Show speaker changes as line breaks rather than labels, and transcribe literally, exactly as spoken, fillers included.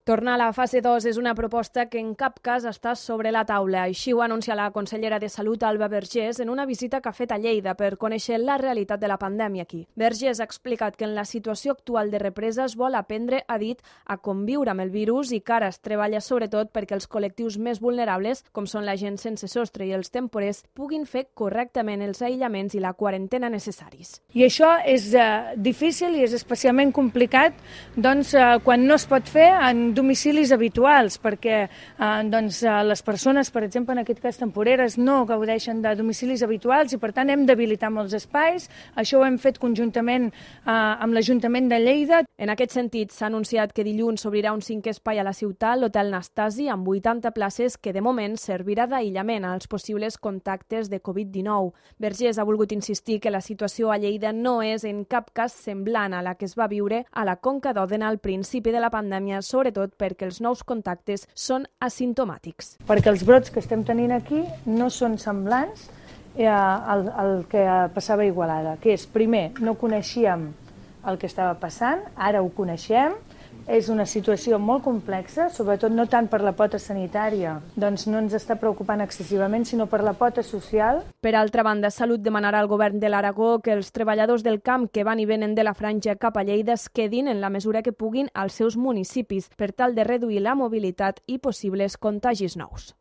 Tornar a la fase dos és una proposta que en cap cas està sobre la taula. Així ho anuncia la consellera de Salut, Alba Vergés, en una visita que ha fet a Lleida per conèixer la realitat de la pandèmia aquí. Vergés ha explicat que en la situació actual de represa es vol aprendre, ha dit, a conviure amb el virus i que ara es treballa sobretot perquè els col·lectius més vulnerables, com són la gent sense sostre i els temporers, puguin fer correctament els aïllaments i la quarantena necessaris.
I això és eh, difícil i és especialment complicat doncs, eh, quan no es pot fer en domicilis habituals, perquè eh, doncs, eh, les persones, per exemple, en aquest cas temporeres, no gaudeixen de domicilis habituals i, per tant, hem d'habilitar molts espais. Això ho hem fet conjuntament eh, amb l'Ajuntament de Lleida.
En aquest sentit, s'ha anunciat que dilluns s'obrirà un cinquè espai a la ciutat, l'Hotel Nastasi, amb vuitanta places que, de moment, servirà d'aïllament als possibles contactes de covid dinou. Vergés ha volgut insistir que la situació a Lleida no és en cap cas semblant a la que es va viure a la Conca d'Òdena al principi de la pandèmia, sobretot perquè els nous contactes són asimptomàtics.
Perquè els brots que estem tenint aquí no són semblants eh, al, al que passava a Igualada, que és, primer, no coneixíem el que estava passant, ara ho coneixem, és una situació molt complexa, sobretot no tant per la pota sanitària, doncs no ens està preocupant excessivament, sinó per la pota social.
Per altra banda, Salut demanarà al govern de l'Aragó que els treballadors del camp que van i venen de la franja cap a Lleida es quedin en la mesura que puguin als seus municipis per tal de reduir la mobilitat i possibles contagis nous.